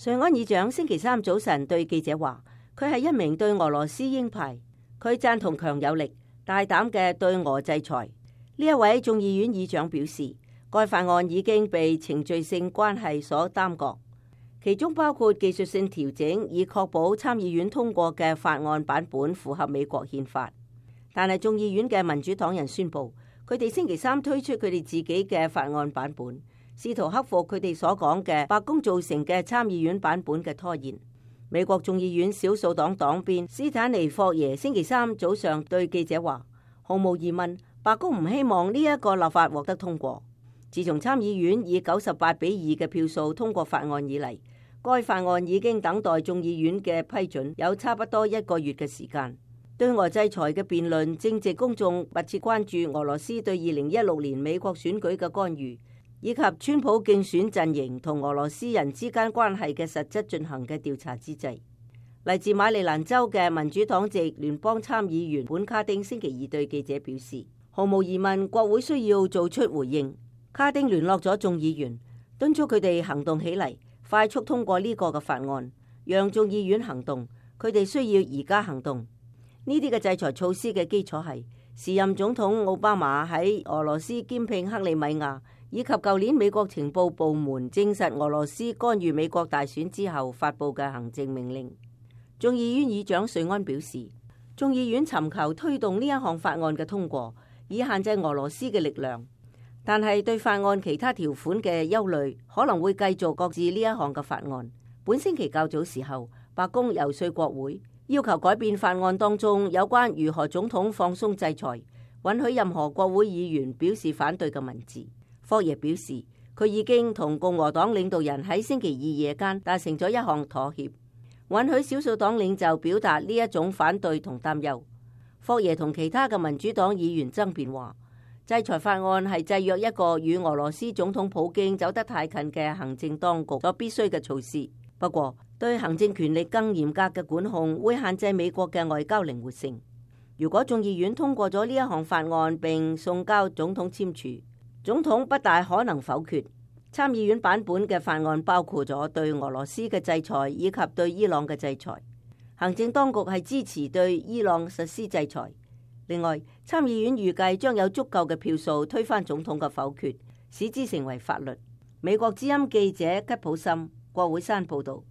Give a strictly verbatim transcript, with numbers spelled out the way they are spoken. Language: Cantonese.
瑞安議長星期三早晨對記者話，佢係一名對俄羅斯鷹派，佢贊同強有力、大膽嘅對俄制裁。呢一位眾議院議長表示，該法案已經被程序性關係所耽擱，其中包括技術性調整，以確保參議院通過嘅法案版本符合美國憲法。但係眾議院嘅民主黨人宣布，佢哋星期三推出佢哋自己嘅法案版本，試圖克服佢哋所講嘅白宮造成嘅參議院版本嘅拖延。美國眾議院少數黨黨鞭斯坦尼霍耶星期三早上對記者話，毫無疑問，白宮唔希望呢一個立法獲得通過。自從參議院以九十八比二嘅票數通過法案以嚟，該法案已經等待眾議院嘅批准有差不多一個月嘅時間。對俄制裁嘅辯論正值公眾密切關注俄羅斯對二零一六年美國選舉嘅干預，以及川普競選陣營同俄羅斯人之間關係嘅實質進行嘅調查之際。嚟自馬里蘭州嘅民主黨籍聯邦參議員本卡丁星期二對記者表示，毫無疑問國會需要做出回應。卡丁聯絡咗眾議員，敦促佢哋行動起嚟，快速通過呢個嘅法案，讓眾議院行動。佢哋需要而家行動。呢啲嘅制裁措施嘅基礎係時任總統奧巴馬喺俄羅斯兼併克里米亞，以及舊年美國情報部門證實俄羅斯干預美國大選之後發布嘅行政命令。眾議院議長瑞安表示，眾議院尋求推動呢一項法案嘅通過，以限制俄羅斯嘅力量，但係對法案其他條款嘅憂慮可能會繼續擱置呢一項嘅法案。本星期較早時候，白宮遊說國會，要求改變法案當中有關如何總統放鬆制裁、允許任何國會議員表示反對嘅文字。霍耶表示，佢已經同共和黨領導人喺星期二夜間達成咗一項妥協，允許少數黨領袖表達呢一種反對同擔憂。霍耶同其他嘅民主黨議員爭辯話，制裁法案係制約一個與俄羅斯總統普京走得太近嘅行政當局所必須嘅措施。不過，對行政權力更嚴格嘅管控會限制美國嘅外交靈活性。如果眾議院通過咗呢一項法案並送交總統簽署，總統不大可能否決。參議院版本嘅法案包括咗對俄羅斯嘅制裁以及對伊朗嘅制裁。行政當局係支持對伊朗實施制裁。另外，參議院預計將有足夠嘅票數推翻總統嘅否決，使之成為法律。美國之音記者吉普森，國會山報道。